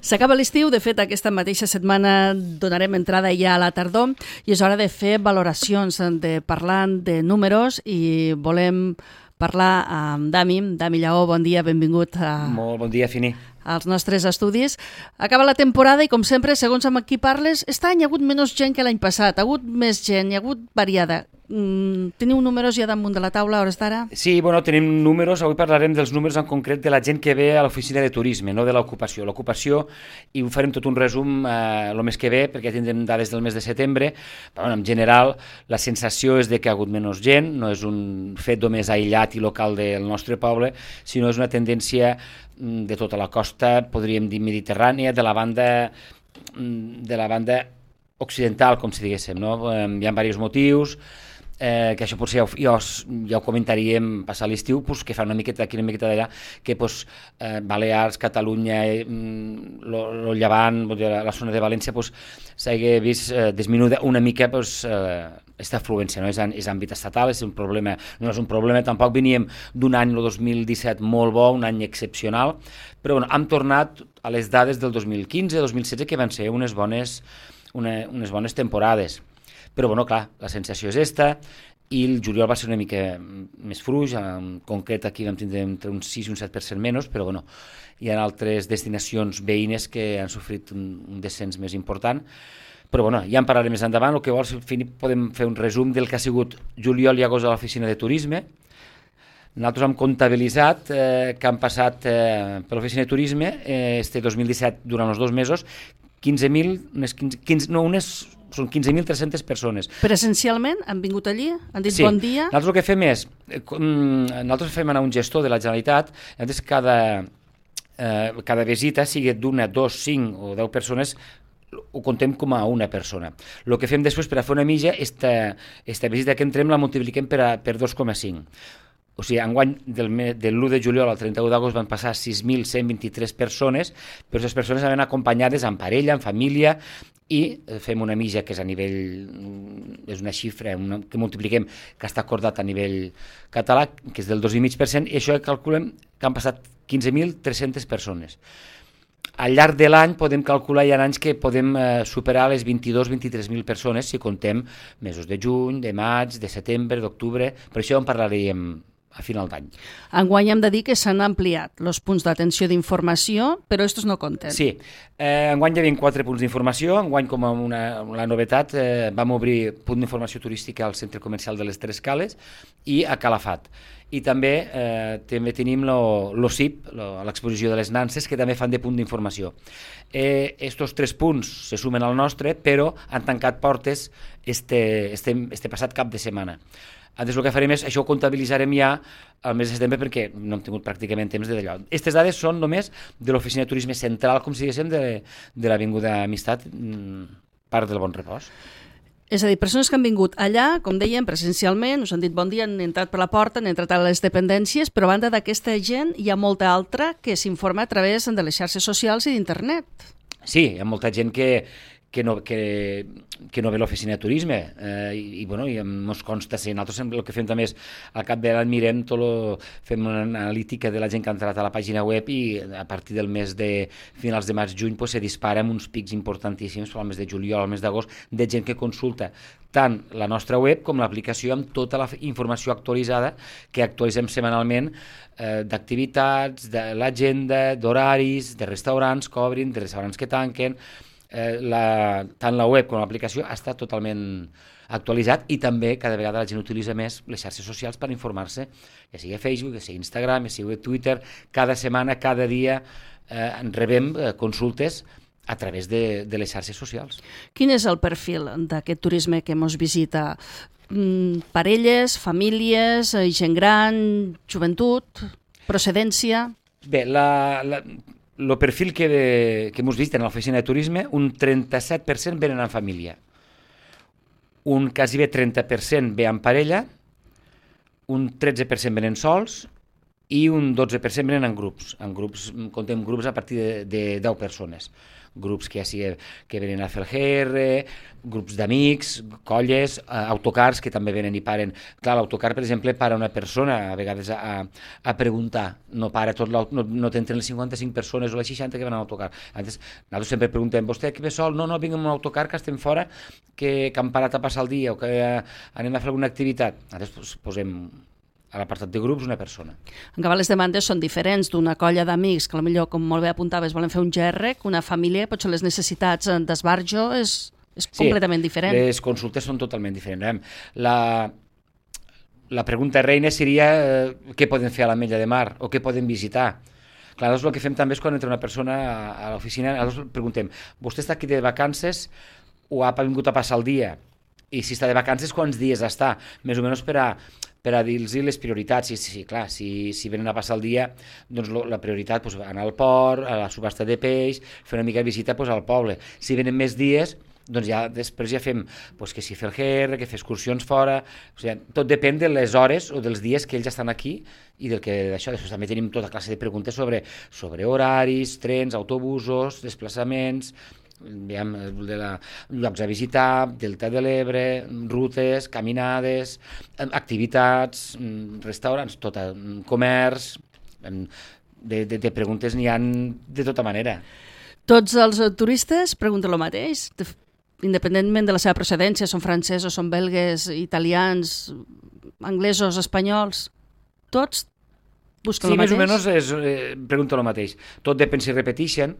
S'acaba l'estiu, de fet aquesta mateixa setmana donarem entrada ja a la tardor i és hora de fer valoracions, de parlar de números i volem parlar amb Dami. Dami Lleó, bon dia, benvingut Molt bon dia, Fini. als nostres estudis. Acaba la temporada i, com sempre, segons amb qui parles, aquest any hi ha hagut menys gent que l'any passat, hi ha hagut més gent, hi ha hagut variada. Teniu números ja damunt de la taula a hores d'ara? Sí, bueno, tenim números, avui parlarem dels números en concret de la gent que ve a l'oficina de turisme, no de l'ocupació. L'ocupació, i ho farem tot un resum el mes que ve, perquè ja tindrem dades del mes de setembre, però bueno, en general la sensació és de que ha hagut menys gent, no és un fet només aïllat i local del nostre poble, sinó és una tendència de tota la costa, podríem dir mediterrània, de la banda occidental, com si diguéssim, no? Hi ha diversos motius, que això potser ja ho comentaríem passar l'estiu, pues, que fa una miqueta d'aquí, una miqueta d'allà, que pues, Balears, Catalunya, el Llevant, la zona de València, pues, s'hagi vist disminuïda una mica pues, aquesta afluència, no? És àmbit estatal, és un problema, no és un problema, tampoc veníem d'un any, el 2017, molt bo, un any excepcional, però bueno, hem tornat a les dades del 2015-2016, que van ser unes bones temporades. Però, bueno, clar, la sensació és esta, i el juliol va ser una mica més fluix, en concret aquí vam tindre entre un 6 i un 7% menys, però, bueno, hi ha altres destinacions veïnes que han sofrit un descens més important. Però, bueno, ja en parlaré més endavant. El que vols, podem fer un resum del que ha sigut juliol i agost a l'oficina de turisme. Nosaltres hem comptabilitzat que han passat per l'oficina de turisme este 2017, durant els 2 mesos, 15.300 persones. Presencialment han vingut allí? Han dit sí. Bon dia? Nosaltres el que fem és, nosaltres fem anar un gestor de la Generalitat, llavors cada visita, sigui d'1, 2, 5 o 10 persones, ho contem com a una persona. El que fem després per a fer una mitja, esta visita que entrem la multipliquem per 2,5. O sigui, enguany de l'1 de juliol al 31 d'agost van passar 6.123 persones, però aquestes persones anaven acompanyades en parella, en família, i fem una mitja que és a nivell, és una xifra que multipliquem, que està acordat a nivell català, que és del 2,5%, i això calculem que han passat 15.300 persones. Al llarg de l'any podem calcular, hi ha anys que podem superar les 22.000-23.000 persones si contem mesos de juny, de maig, de setembre, d'octubre, per això en parlarem a final d'any. Enguany hem de dir que s'han ampliat els punts d'atenció d'informació, però estos no compten. Sí, enguany hi havia 4 punts d'informació, enguany com a la novetat vam obrir punt d'informació turística al centre comercial de les Tres Cales i a Calafat. I també tenim l'OSIP, l'exposició de les Nanses, que també fan de punt d'informació. Estos 3 punts se sumen al nostre, però han tancat portes este passat cap de setmana. Llavors el que farem és, això ho comptabilitzarem ja al mes de setembre perquè no hem tingut pràcticament temps d'allò. Aquestes dades són només de l'oficina de turisme central, com si diguéssim, de l'Avinguda Amistat, part del Bon Repòs. És a dir, persones que han vingut allà, com dèiem, presencialment, us han dit bon dia, han entrat per la porta, han entrat a les dependències, però a banda d'aquesta gent hi ha molta altra que s'informa a través de les xarxes socials i d'internet. Sí, hi ha molta gent que no ve a l'oficina de turisme i ens consta ser. Nosaltres el que fem també és al cap de l'any mirem fem una analítica de la gent que ha entrat a la pàgina web i a partir del mes de finals de maig-juny se dispara amb uns pics importantíssims al mes de juliol, al mes d'agost, de gent que consulta tant la nostra web com l'aplicació amb tota la informació actualitzada que actualitzem setmanalment d'activitats, de l'agenda, d'horaris, de restaurants que obrin, de restaurants que tanquen. Tant la web com l'aplicació està totalment actualitzat i també cada vegada la gent utilitza més les xarxes socials per informar-se, ja sigui Facebook, ja sigui Instagram, ja sigui Twitter. Cada setmana, cada dia rebem consultes a través de les xarxes socials. Quin és el perfil d'aquest turisme que ens visita? Parelles, famílies, gent gran, joventut, procedència? Bé, el perfil que ens visiten a l'oficina de turisme, un 37% venen en família, un quasi bé 30% ve en parella, un 13% venen sols i un 12% venen en grups. Contem grups a partir de 10 persones. Grups que ja sigui que venen a fer el GR, grups d'amics, colles, autocars que també venen i paren. Clar, l'autocar, per exemple, para una persona a vegades a preguntar, no para tot no t'entren les 55 persones o les 60 que van a l'autocar. Nosaltres sempre preguntem, vostè que ve sol? No, vinc amb un autocar que estem fora, que han parat a passar el dia o que anem a fer alguna activitat. Nosaltres posem a l'apartat de grups una persona. En canvi, les demandes són diferents d'una colla d'amics que potser, com molt bé apuntaves, volen fer un GR, que una família, potser les necessitats d'esbarjo és completament diferent. Sí, les consultes són totalment diferents. La pregunta reina seria què poden fer a l'Ametlla de Mar o què poden visitar. Clar, el que fem també és quan entra una persona a l'oficina, nosaltres preguntem, vostè està aquí de vacances o ha vingut a passar el dia? I si està de vacances, quants dies està? Més o menys per a dir-los les prioritats. Sí, clar, si venen a passar el dia, doncs la prioritat, anar al port, a la subhasta de peix, fer una mica de visita al poble. Si venen més dies, doncs després ja fem que si fer el GR, que fer excursions fora, tot depèn de les hores o dels dies que ells estan aquí i del que d'això. Després també tenim tota classe de preguntes sobre horaris, trens, autobusos, desplaçaments, llocs a visitar, Delta de l'Ebre, rutes, caminades, activitats, restaurants, comerç, de preguntes n'hi ha de tota manera. Tots els turistes pregunten el mateix, independentment de la seva procedència, són francesos, són belgues, italians, anglesos, espanyols, tots busquen el mateix? Sí, més o menys pregunten el mateix. Tot depèn si repeteixen,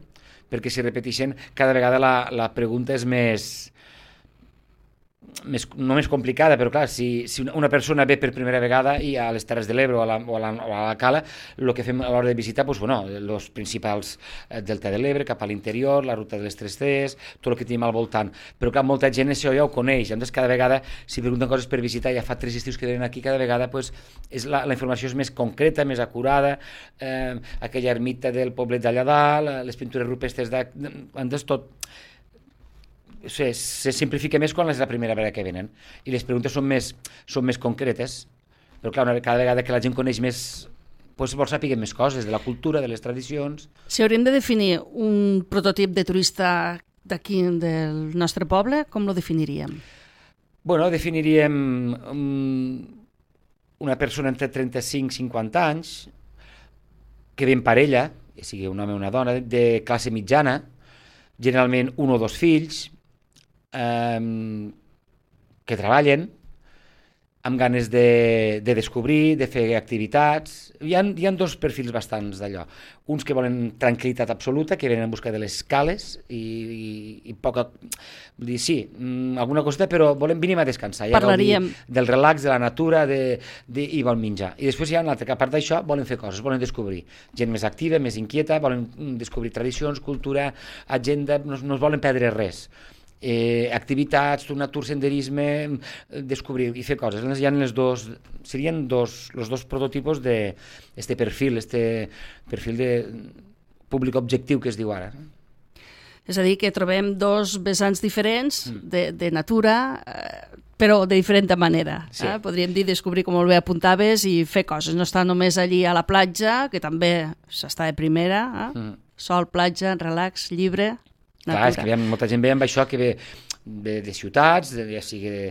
perquè si repeteixen cada vegada la pregunta és no més complicada, però clar, si una persona ve per primera vegada i a les Terres de l'Ebre o a la Cala, el que fem a l'hora de visitar, els principals Delta de l'Ebre, cap a l'interior, la ruta de les 3Cs, tot el que tenim al voltant. Però clar, molta gent això ja ho coneix, llavors cada vegada, si pregunten coses per visitar, ja fa 3 estius que venen aquí, cada vegada la informació és més concreta, més acurada, aquella ermita del poblet d'allà dalt, les pintures rupestres tot se simplifica més quan és la primera vegada que venen i les preguntes són més concretes, però clar, cada vegada que la gent coneix més vol saber més coses de la cultura, de les tradicions. Si hauríem de definir un prototip de turista d'aquí del nostre poble, com lo definiríem? Definiríem una persona entre 35 i 50 anys que ve en parella, ja sigui un home o una dona, de classe mitjana, generalment 1 o 2 fills, que treballen amb ganes de descobrir, de fer activitats. Hi ha 2 perfils bastants d'allò. Uns que volen tranquil·litat absoluta, que venen en busca de les cales i poca... Vull dir, sí, alguna coseta, però venim a descansar. Parlaríem del relax, de la natura i volen menjar. I després hi ha un altre que, a part d'això, volen fer coses, volen descobrir. Gent més activa, més inquieta, volen descobrir tradicions, cultura, agenda, no es volen perdre res. Activitats, natur, senderisme, descobrir i fer coses. Hi ha serien els dos prototipus d'este perfil, de públic objectiu que es diu ara. És a dir, que trobem 2 vessants diferents de natura, però de diferent manera. Sí. Podríem dir descobrir, com molt bé apuntaves, i fer coses. No estar només allí a la platja, que també s'està de primera, sol, platja, relax, llibre... Clar, és que molta gent ve amb això que ve de ciutats, ja sigui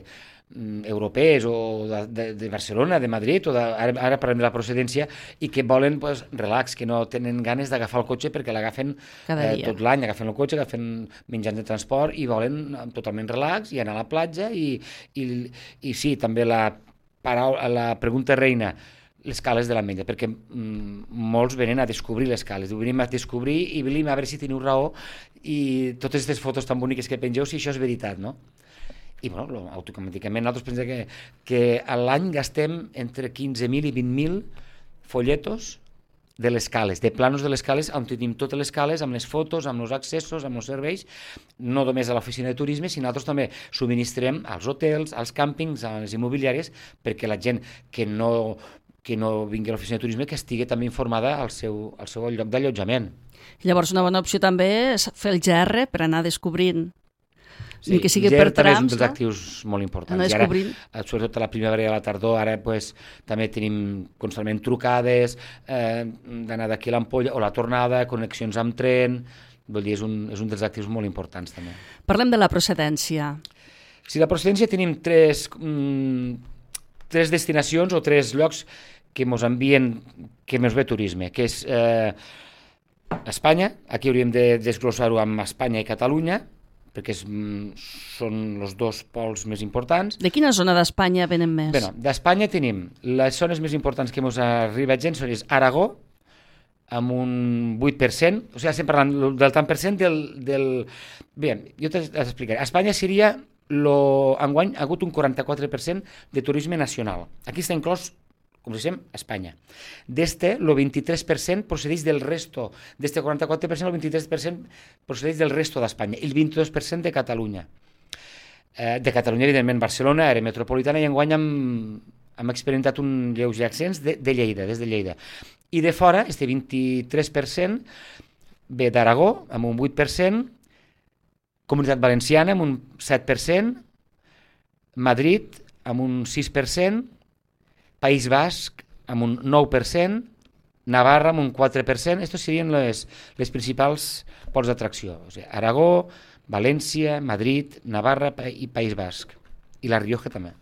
europees o de Barcelona, de Madrid, o ara parlem de la procedència, i que volen relax, que no tenen ganes d'agafar el cotxe perquè l'agafen tot l'any, agafen el cotxe, agafen mitjans de transport i volen totalment relax i anar a la platja i sí, també la pregunta reina, les cales de l'Ametlla, perquè molts venen a descobrir les cales, venim a descobrir i venim a veure si teniu raó i totes aquestes fotos tan boniques que pengeu, si això és veritat, no? I automàticament nosaltres pensem que a l'any gastem entre 15.000 i 20.000 folletos de les cales, de planos de les cales, on tenim totes les cales, amb les fotos, amb els accessos, amb els serveis, no només a l'oficina de turisme, sinó nosaltres també subministrem als hotels, als càmpings, a les immobiliàries, perquè la gent que no vingui a l'oficina de turisme que estigui també informada al seu lloc d'allotjament. Llavors una bona opció també és fer el GR per anar descobrint Sí, ni que sigui gel per també és un trams, dels actius molt importants. anar I ara, descobrint. sobretot a la primavera i a la tardor, ara pues, també tenim constantment trucades, d'anar d'aquí a l'Ampolla, o la tornada, connexions amb tren, vull dir, és un dels actius molt importants també. Parlem de la procedència. Si la procedència tenim tres destinacions o tres llocs que ens envien, que ens ve turisme, que és Espanya, aquí hauríem de desglossar-ho amb Espanya i Catalunya, perquè són els dos pols més importants. De quina zona d'Espanya venen més? Bé, d'Espanya tenim les zones més importants que ens arriba gent, són Aragó, amb un 8%, o sigui, estem parlant del tant per cent del... Bé, jo t'explicaré. A Espanya seria, enguany, ha hagut un 44% de turisme nacional. Aquí està inclòs, com diguem, Espanya. D'este, el 23% procedeix del resto. D'este 44%, el 23% procedeix del resto d'Espanya. El 22% de Catalunya. De Catalunya, evidentment, Barcelona, àrea metropolitana, i enguany hem experimentat un lleuger accents de Lleida, des de Lleida. I de fora, este 23% ve d'Aragó, amb un 8%, Comunitat Valenciana, amb un 7%, Madrid, amb un 6%, País Basc, amb un 9%, Navarra, amb un 4%. Estos serien les principals pols d'atracció. O sigui, Aragó, València, Madrid, Navarra i País Basc. I La Rioja també.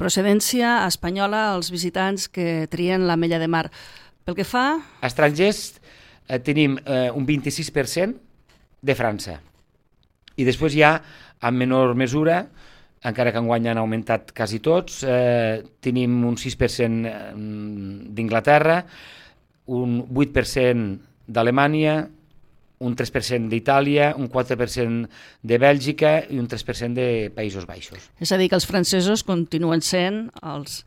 Procedència espanyola als visitants que trien l'Ametlla de Mar. Pel que fa... Estrangers tenim un 26% de França. I després ja, en menor mesura, encara que enguany han augmentat quasi tots, tenim un 6% d'Inglaterra, un 8% d'Alemanya, un 3% d'Itàlia, un 4% de Bèlgica i un 3% de Països Baixos. És a dir, que els francesos continuen sent els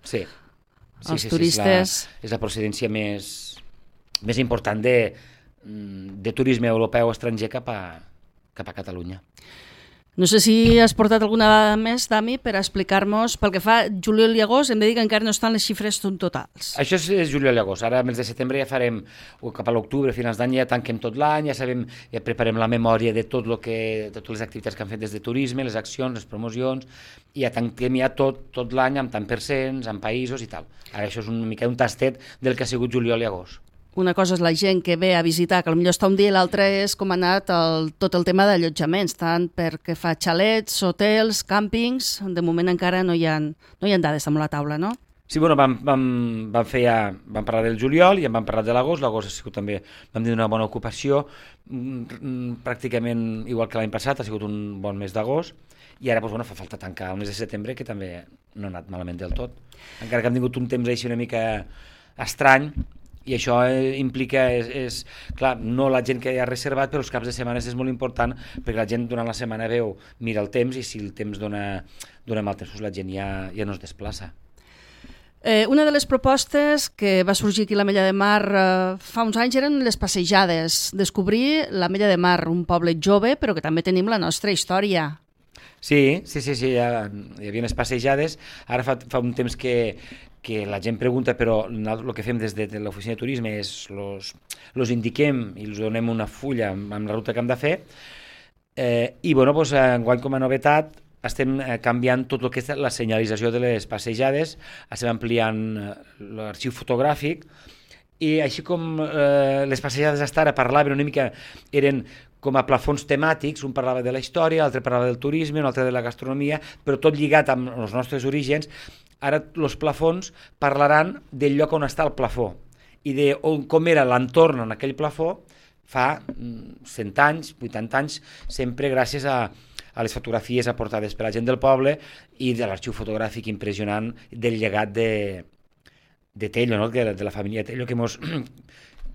turistes... És la procedència més important de turisme europeu estranger cap a Catalunya. No sé si has portat alguna dada més, Dami, per explicar-nos, pel que fa juliol i agost, hem de dir que encara no estan les xifres totals. Això és juliol i agost. Ara, al mes de setembre, ja farem, cap a l'octubre, finals d'any, ja tanquem tot l'any, ja sabem, ja preparem la memòria de totes les activitats que han fet des de turisme, les accions, les promocions, i ja tanquem ja tot l'any amb tant percents, amb països i tal. Ara això és una mica un tastet del que ha sigut juliol i agost. Una cosa és la gent que ve a visitar, que potser està un dia, i l'altra és com ha anat tot el tema d'allotjaments, tant perquè fa xalets, hotels, càmpings. De moment encara no hi ha dades damunt la taula, no? Sí, bueno, vam parlar del juliol i en vam parlar de l'agost. L'agost ha sigut també, vam dir, una bona ocupació, pràcticament igual que l'any passat, ha sigut un bon mes d'agost, i ara doncs, fa falta tancar el mes de setembre, que també no ha anat malament del tot. Encara que hem tingut un temps així una mica estrany, i això implica, clar, no la gent que ha reservat, però els caps de setmana és molt important, perquè la gent durant la setmana mira el temps, i si el temps dona mal temps, la gent ja no es desplaça. Una de les propostes que va sorgir aquí a l'Ametlla de Mar fa uns anys eren les passejades, descobrir l'Ametlla de Mar, un poble jove, però que també tenim la nostra història. Sí, ja hi havia unes passejades. Ara fa un temps que la gent pregunta, però el que fem des de l'oficina de turisme és los indiquem i els donem una fulla amb la ruta que hem de fer, i doncs, enguany com a novetat estem canviant tot el que és la senyalització de les passejades, estem ampliant l'arxiu fotogràfic, i així com les passejades hasta ara parlaven una mica, eren com a plafons temàtics, un parlava de la història, l'altre parlava del turisme, un altre de la gastronomia, però tot lligat amb els nostres orígens. Ara els plafons parlaran del lloc on està el plafó i de com era l'entorn en aquell plafó fa 100 anys, 80 anys, sempre gràcies a les fotografies aportades per la gent del poble i de l'arxiu fotogràfic impressionant del llegat de Tello, no? de la família Tello,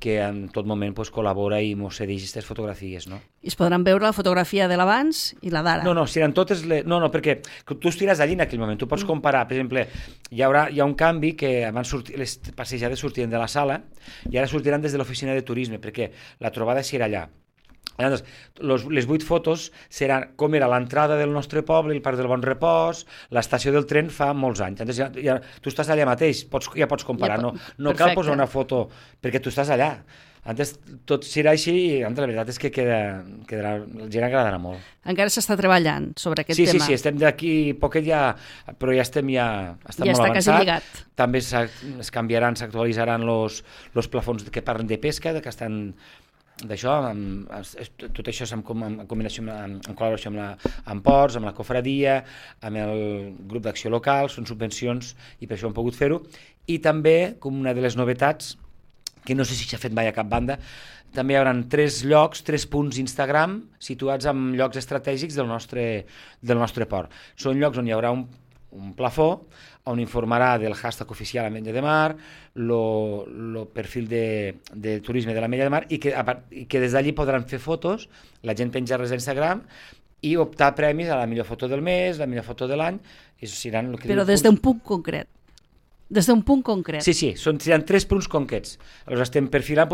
que en tot moment col·labora i ens cedeix aquestes fotografies. No? I es podran veure la fotografia de l'abans i la d'ara. No, seran totes... No, perquè tu estiràs allí en aquell moment, tu pots comparar, per exemple, hi ha un canvi que abans les passejades sortien de la sala i ara sortiran des de l'oficina de turisme, perquè la trobada serà allà. Llavors, les 8 fotos seran com era l'entrada del nostre poble, el Parc del Bon Repòs, l'estació del tren fa molts anys. Llavors, tu estàs allà mateix, ja pots comparar, no cal posar una foto perquè tu estàs allà. Antes tot serà així i la veritat és que quedarà, la gent agradarà molt. Encara s'està treballant sobre aquest tema. tema. Sí, estem d'aquí poquet ja, però ja estem molt avançat. Ja està quasi lligat. També es canviaran, s'actualitzaran los plafons que parlen de pesca, que estan d'això, tot això és en combinació, en col·laboració amb ports, amb la cofradia, amb el grup d'acció local, són subvencions i per això hem pogut fer-ho. I també, com una de les novetats, que no sé si s'ha fet mai a cap banda, també hi haurà 3 llocs, 3 punts Instagram situats en llocs estratègics del nostre port. Són llocs on hi haurà un plafó on informarà del hashtag oficial Ametlla de Mar, el perfil de turisme de l'Ametlla de Mar i que des d'allí podran fer fotos, la gent penjar-les a Instagram i optar premis a la millor foto del mes, la millor foto de l'any. Però des d'un punt concret. Des d'un punt concret. Sí, seran 3 punts concrets. Aleshores estem perfilant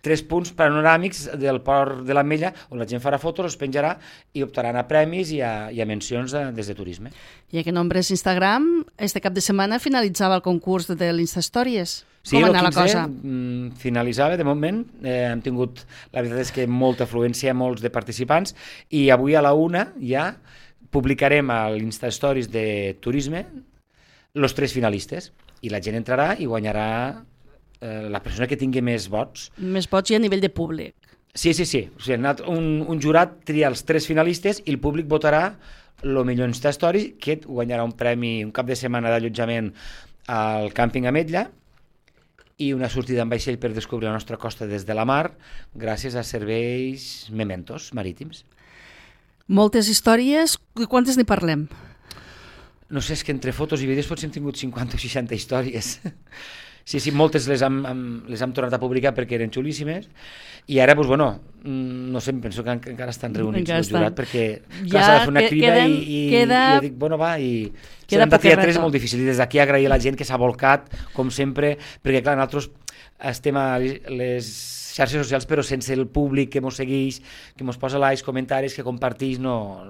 3 punts panoràmics del port de l'Ametlla on la gent farà fotos, els penjarà i optaran a premis i a mencions des de turisme. I aquest nombre és Instagram. Este cap de setmana finalitzava el concurs de l'Instastories. Sí, com anava la cosa? Finalitzava, de moment. Hem tingut, la veritat és que molta afluència, molts de participants, i avui a la 1 ja publicarem a l'Instastories de turisme els 3 finalistes. I la gent entrarà i guanyarà la persona que tingui més vots. Més vots i a nivell de públic. Sí. O sigui, un jurat tria els 3 finalistes i el públic votarà el millor Instastories, que guanyarà un premi, un cap de setmana d'allotjament al càmping Ametlla i una sortida en vaixell per descobrir la nostra costa des de la mar gràcies a serveis mementos marítims. Moltes històries. Quantes n'hi parlem? No sé, és que entre fotos i vídeos potser hem tingut 50 o 60 històries. Sí, moltes les hem tornat a publicar perquè eren xulíssimes i ara, doncs, bueno, no sé, penso que encara estan reunits el jurat perquè clar, s'ha de fer una crida i jo dic, bueno, va, i serem de triar 3 molt difícil i des d'aquí agrair a la gent que s'ha volcat, com sempre, perquè clar, nosaltres estem a les xarxes socials però sense el públic que ens segueix, que ens posa likes, comentaris, que comparteix, no,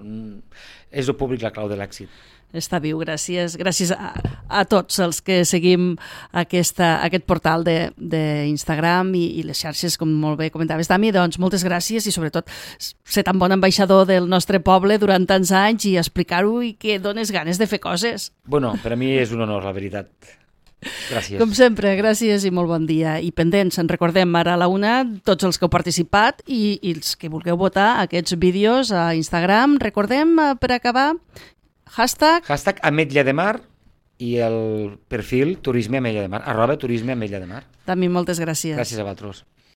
és el públic la clau de l'èxit. Està viu, gràcies a tots els que seguim aquest portal d'Instagram i les xarxes, com molt bé comentaves, Dami, doncs moltes gràcies i sobretot ser tan bon ambaixador del nostre poble durant tants anys i explicar-ho i que dones ganes de fer coses. Bueno, per a mi és un honor, la veritat. Gràcies. Com sempre, gràcies i molt bon dia. I pendents, en recordem ara a la 1 tots els que heu participat i els que vulgueu votar aquests vídeos a Instagram. Recordem, per acabar, Hashtag Ametlla de Mar i el perfil Turisme Ametlla de Mar, @Turisme Ametlla de Mar. També moltes gràcies. Gràcies a vosaltres.